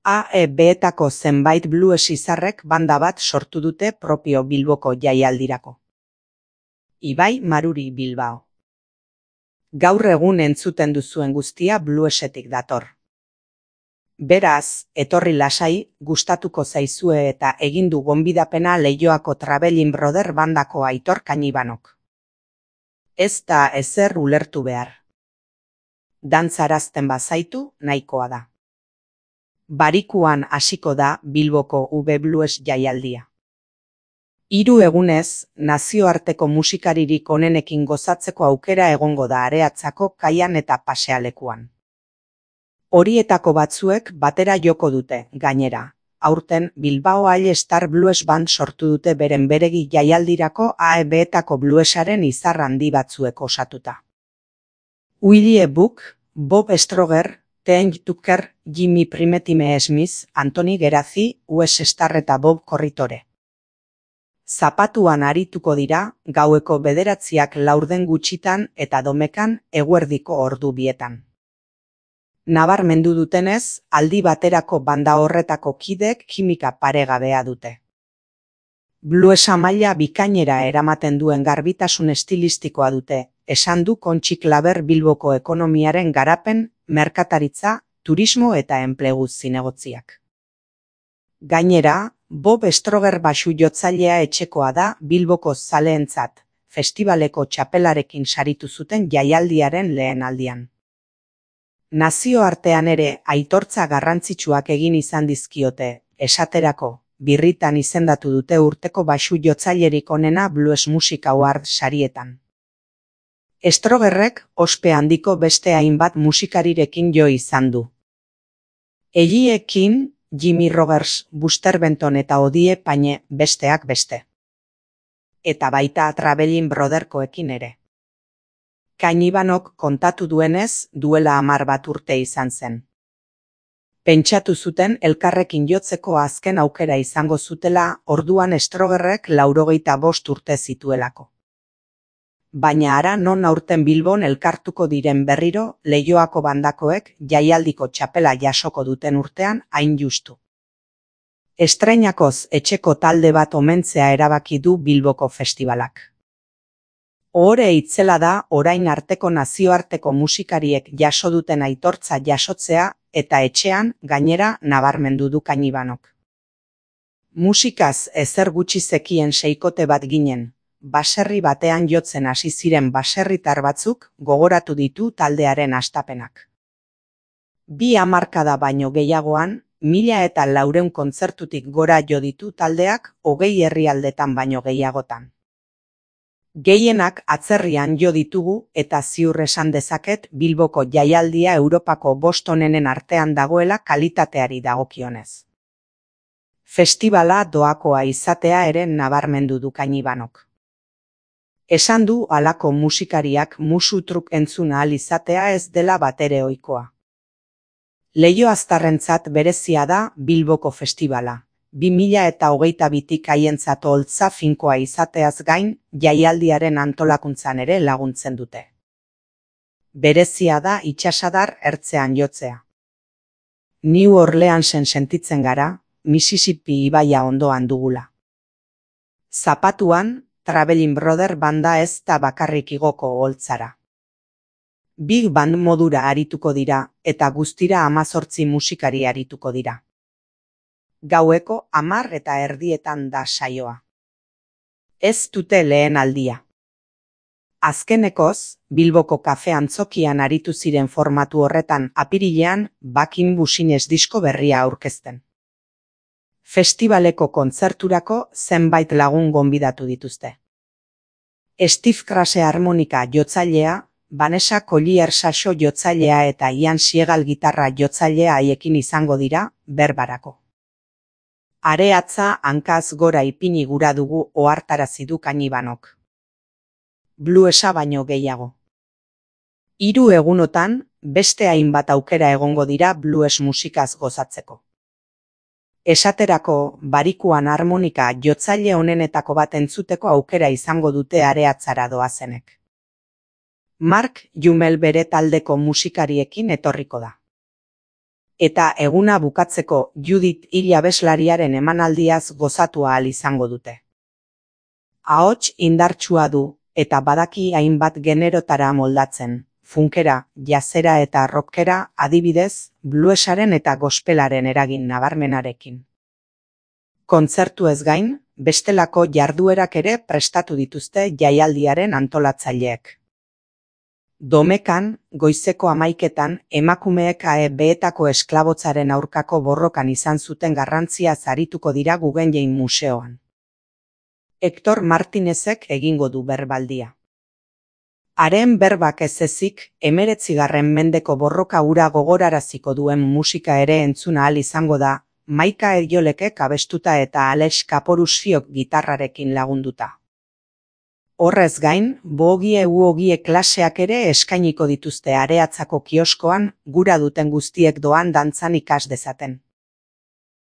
AEB-etako zenbait blues izarrek banda bat sortu dute propio Bilboko jaialdirako. Ibai Maruri Bilbao. Gaur egun entzuten duzuen guztia bluesetik dator. Beraz, etorri lasai, gustatuko zaizue eta egin du gonbidapena Leioako Travelin Brother bandako Aitor Kañibanok. Ez da ezer ulertu behar. Dantzarazten bazaitu nahikoa da. Barikuan hasiko da Bilboko UB Blues jaialdia. 3 egunez, nazioarteko musikaririk onenekin gozatzeko aukera egongo da Areatzako kaian eta pasealekuan. Horietako batzuek batera joko dute, gainera. Aurten Bilbao All Star Blues Band sortu dute beren beregi jaialdirako AEB-etako bluesaren izar handi batzuek osatuta. Willie Buck, Bob Stroger, Ten Tucker, Jimmy Primetime Smith, Antoni Gerazi, Wes Starr eta Bob Corritore. Zapatuan arituko dira, gaueko 9:00 gutxitan eta domekan eguerdiko ordu 2:00. Nabarmendu dutenez, aldi baterako banda horretako kidek kimika paregabea dute. Bluesa maila bikainera eramaten duen garbitasun estilistikoa dute, esan du Kontxi Klaber Bilboko ekonomiaren garapen, merkataritza, turismo eta enplegu zinegotziak. Gainera, Bob Stroger baxu jotzailea etxekoa da Bilboko zaleentzat, festibaleko txapelarekin saritu zuten jaialdiaren lehen aldian. Nazioartean ere aitortza garrantzitsuak egin izan dizkiote, esaterako, birritan izendatu dute urteko baxu jotzailerik onena Blues Music Award sarietan. Strogerrek ospe handiko beste hainbat musikarirekin jo izan du. Egiekin, Jimmy Rogers, Buster Benton eta Odie Paine besteak beste. Eta baita Travelin Brotherkoekin ere. Kañibanok kontatu duenez, duela 10 urte izan zen. Pentsatu zuten elkarrekin jotzeko azken aukera izango zutela, orduan Strogerrek 85 urte zituelako. Baina ara non aurten Bilbon elkartuko diren berriro, Leioako bandakoek jaialdiko txapela jasoko duten urtean hain justu. Estreinakoz etxeko talde bat omentzea erabaki du Bilboko festibalak. Ohore itzela da orain arteko nazioarteko musikariek jaso duten aitortza jasotzea eta etxean gainera nabarmendu du Kañibanok. Musikaz ezer gutxi zekien seikote bat ginen. Baserri batean jotzen hasi ziren baserritar batzuk gogoratu ditu taldearen hastapenak. 2 hamarkada baino gehiagoan, 1400 kontzertutik gora jo ditu taldeak 20 herrialdetan baino gehiagotan. Gehienak atzerrian jo ditugu eta ziur esan dezaket Bilboko jaialdia Europako 5 onenen artean dagoela kalitateari dagokionez. Festivala doakoa izatea ere nabarmendu du Kañibanok. Esan du halako musikariak musu-truk entzun ahal izatea ez dela batere ohikoa. Leioaztarrentzat berezia da Bilboko festivala. 2022tik haientzat oholtza finkoa izateaz gain, jaialdiaren antolakuntzan ere laguntzen dute. Berezia da itsasadar ertzean jotzea. New Orleansen sentitzen gara, Mississippi ibaia ondoan dugula. Zapatuan, Travelin Brother banda ez da bakarrik igoko oholtzara. Big band modura arituko dira eta guztira 18 musikari arituko dira. Gaueko 10:30 da saioa. Ez dute lehen aldia. Azkenekoz, Bilboko kafe antzokian aritu ziren formatu horretan apirilean Bakin Busines disko berria aurkezten. Festivaleko kontzerturako zenbait lagun gonbidatu dituzte. Steve Krase harmonika jotzailea, Vanessa Collier saxo jotzailea eta Ian Siegal gitarra jotzailea haiekin izango dira berbarako. Areatza hankaz gora ipini gura dugu ohartarazi du Kañibanok. Bluesa baino gehiago. 3 egunotan, beste hainbat aukera egongo dira blues musikaz gozatzeko. Esaterako, barikuan harmonika jotzaile onenetako bat entzuteko aukera izango dute Areatzara doazenek. Mark Jumel bere taldeko musikariekin etorriko da. eta eguna bukatzeko Judith Hill abeslariaren emanaldiaz gozatu ahal izango dute. Ahots indartsua du, eta badaki hainbat generotara moldatzen, funkera, jazzera eta rockera, adibidez, bluesaren eta gospelaren eragin nabarmenarekin. Kontzertuez gain, bestelako jarduerak ere prestatu dituzte jaialdiaren antolatzaileek. Domekan, goizeko 11etan, emakumeek behetako esklabotzaren aurkako borrokan izan zuten garrantzia arituko dira Guggenheim Museoan. Hector Martinezek egingo du berbaldia. Haren berbak ez ezik, 19. mendeko borroka hura gogoraraziko duen musika ere entzun ahal izango da, Maika Eriolekek abestuta eta Alex Kaporusfiok gitarrarekin lagunduta. Horrez gain, bogie klaseak ere eskainiko dituzte Areatzako kioskoan, gura duten guztiek doan dantzan ikas dezaten.